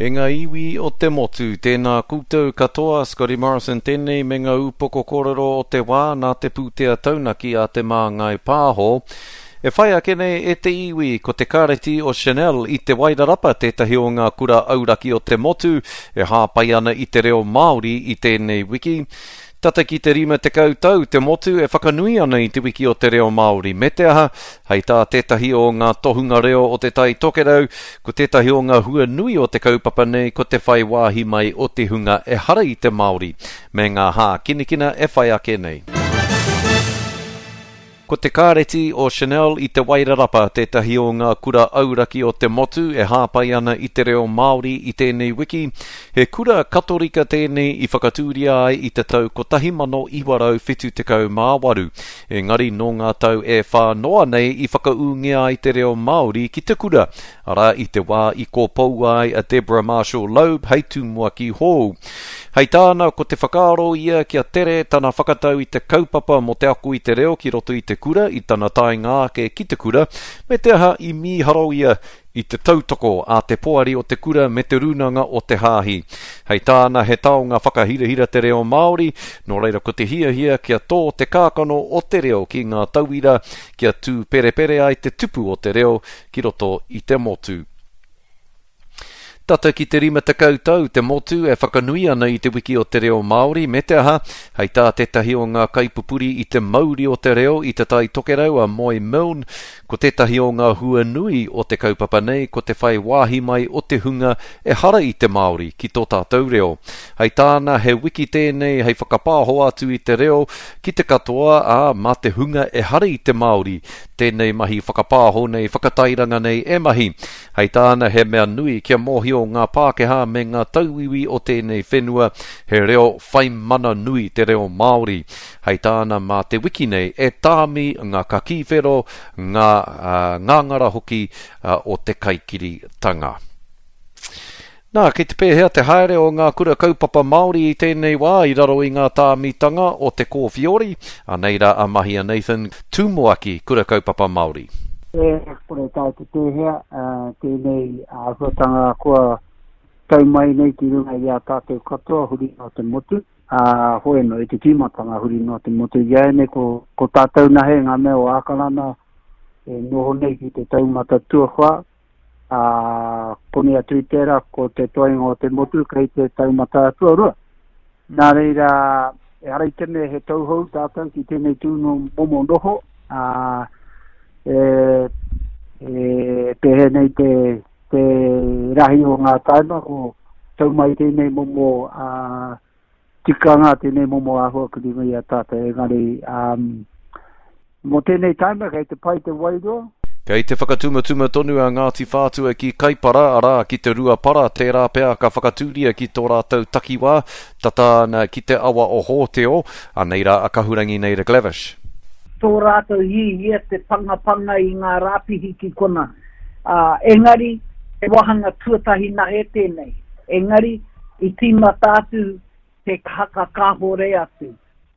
E ngā iwi o te motu, tēnā koutou katoa, Scotty Morrison tēnei me ngā upoko kōrero o te wā nā te pūtea taunaki a Te Māngai Pāho. E whai ake nei e te iwi, ko te Kāreti o Chanel i Te Wairarapa tētahi o ngā kura auraki o te motu e hāpai ana i te reo Māori i tēnei wiki. Tata ki te 50 tau te motu e whakanui ana i Te Wiki o te Reo Māori me te aha, hei tā tētahi o ngā tohunga reo o Te Tai Tokerau, ko tētahi o ngā hua nui o te kaupapa nei ko te whai wāhi mai o te hunga ehara i te Māori me ngā hākinakina e whai ake nei. Ko te Kāreti o Chanel i Te Wairarapa tētahi o ngā kura auraki o te motu e hāpai ana i te reo Māori i tēnei wiki. He kura Katorika tēnei i whakatūria ai i te tau 1978, engari nō ngā tau e whā noa nei i whakaūngia ai te reo Māori ki te kura, arā, i te wā i kōpoua ai a Deborah Marshall Loeb hei tumuaki hou. Hei tāna, ko te whakaaro ia kia tere tana whakatau i te kaupapa mō te ako i te reo ki roto i te kura i tana taenga ake ki te kura, me te aha i mīharo ia i te tautoko a te poari o te kura me te rūnanga o te hāhi. Hei tāna he taonga whakahirahira te reo Māori, nō reira ko te hiahia kia tō te kākano o te reo ki ngā tauira kia tūperepere ai te tupu o te reo ki roto i te motu. Tata ki te 50 tau te motu e whakanui ana i te Wiki o te Reo Māori me te aha, hei tā tētahi o ngā kaipupuri i te mauri o te reo i Te Tai Tokerau a Moe Milne, ko tētahi o ngā hua nui o te kaupapa nei ko te whai wāhi mai o te hunga ehara i te Māori ki tō tātou reo. Hei tāna he wiki tēnei hei whakapāho atu i te reo ki te katoa, ā, mā te hunga ehara i te Māori tēnei mahi whakapāho nei, whakatairanga nei e mahi. Hei tāna he mea nui kia mōhio ngā Pākehā me ngā tauiwi o tēnei whenua he reo whai mana nui te reo Māori. Hei tāna mā te wiki nei e tāmi ngā kakī whero, ngā ngāngara hoki o te kaikiritanga. Nā, kei te pēhea te haere o ngā kura kaupapa Māori i tēnei wā i raro i ngā tāmitanga o te kōwhiori? Anei rā a Mahia Nathan, Tumuaki Kura Kaupapa Māori. E kore taea te pēhea tēnei āhuatanga kua tau mai nei ki runga i a tātou katoa huri noa te motu, ā, hoi anō i te tīmatanga huri noa te motu. Iāianei ko, ko tātou nahe ngā mea o Ākarana e noho nei ki te taumata tuawhā, ā, konei atu i tērā, ko te toenga o te motu kei te taumata tuarua. Nā reira, ehara i te mea he tauhou tātou ki tēnei tū no momo noho, ā, e, e pēhea nei te, te rahi o ngā taima, ko tau mai tēnei momo ā, tikanga, tēnei momo āhua ki runga i a tātou, engari, um, mō tēnei taima kei te pai te wairua. Kei te whakatumatuma tonu a Ngāti Whātua ki Kaipara, arā, ki te Rua Para, tērā pea ka whakatūria ki tō rātou takiwā, tata ana ki te awa o Hōteo, anei rā a Kahurangi Naida Glavish. Tō rātou hiahia te pangapanga i ngā rāpihi ki kona. Ā, engari, he wāhanga tuatahi nahe tēnei. Engari, i tīmata atu te haka kāhore atu.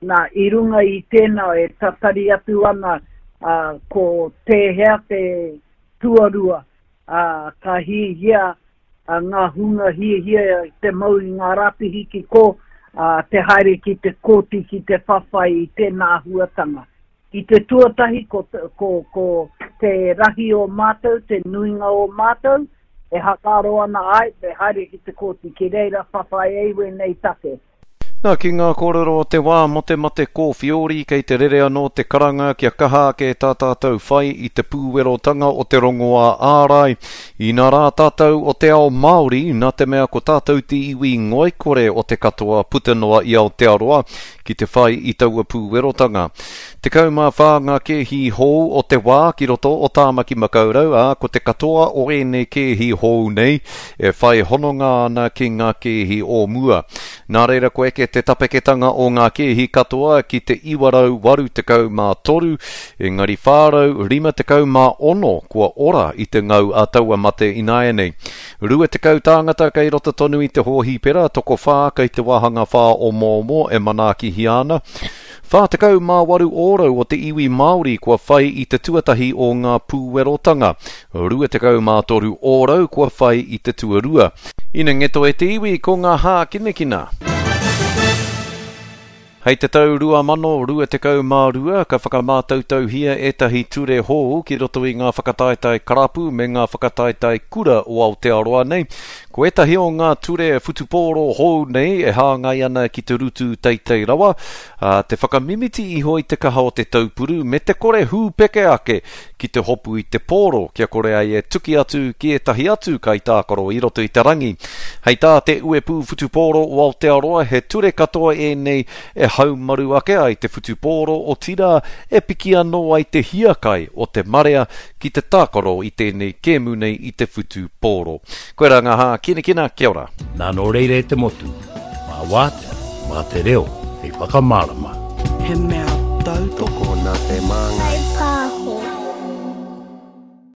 Nā, i runga i tēnā e tatari atu ana ā, ko tēhea te tuarua, ā, ka hiahia ā, ngā hunga hiahia te mau i ngā rāpihi ki kō, ā, te haere ki te kōti ki te whawhai i tēnā āhuatanga. I te tuatahi ko, ko, ko te rahi o mātou, te nuinga o mātou, e hakaaro ana ai, me haere ki te kōti, ki reira whawhai ai wēnei take. Nā, ki ngā kōrero o te wā mō te mate kōwhiori, kei te rere anō te karanga kia kaha ake tā tātou whai i te pūwerotanga o te rongoā ārai. Inā rā tātou o te ao Māori, nā te mea ko tātou te iwi ngoikore o te katoa puta noa i Aotearoa, ki te whai i taua pūwerotanga. 14 ngā kēhi hou o te wā ki roto o Tāmaki Makaurau, ā, ko te katoa o ēnei kēhi hou nei e whai hononga ana ki ngā kēhi o mua. Nā reira kua eke te tapeketanga o ngā kēhi katoa ki te 983, engari 456 kua ora i te ngau a taua mate ināianei. 20 tāngata kei roto tonu i te hōhipera, tokowhā kei te wāhanga whāomoomo e manaakihia ana. 48 ōrau o te iwi Māori kua whai i te tuatahi o ngā pūwerotanga, 23 ōrau kua whai i te tuarua. Ina ngeto e te iwi ko ngā hākinakina. Hei te tau 2022 ka whakamātautauhia ētahi ture hou ki roto i ngā whakataetae karapu me ngā whakataetae kura o Aotearoa nei. Ko ētahi o ngā ture whutupōro hou nei e hāngai ana ki te rutu teitei rawa, ā, te whakamimiti iho i te kaha o te taupuru me te kore hūpeke ake ki te hopu i te pōro kia kore ai e tuki atu ki ētahi atu kaitākaro i roto i te rangi. Hei tā te Uepū Whutupōro o Aotearoa he ture katoa ēnei e haumaru ake ai te whutupōro otirā e piki anō ai te hiakai o te marea ki te tākaro i tēnei kēmu nei i te whutupōro. Koirā ngā hākinakina, kia ora. Nā nō reira e te motu, mā wātea, mā te reo hei whakamārama. He mea tautoko. Tokona te māngai.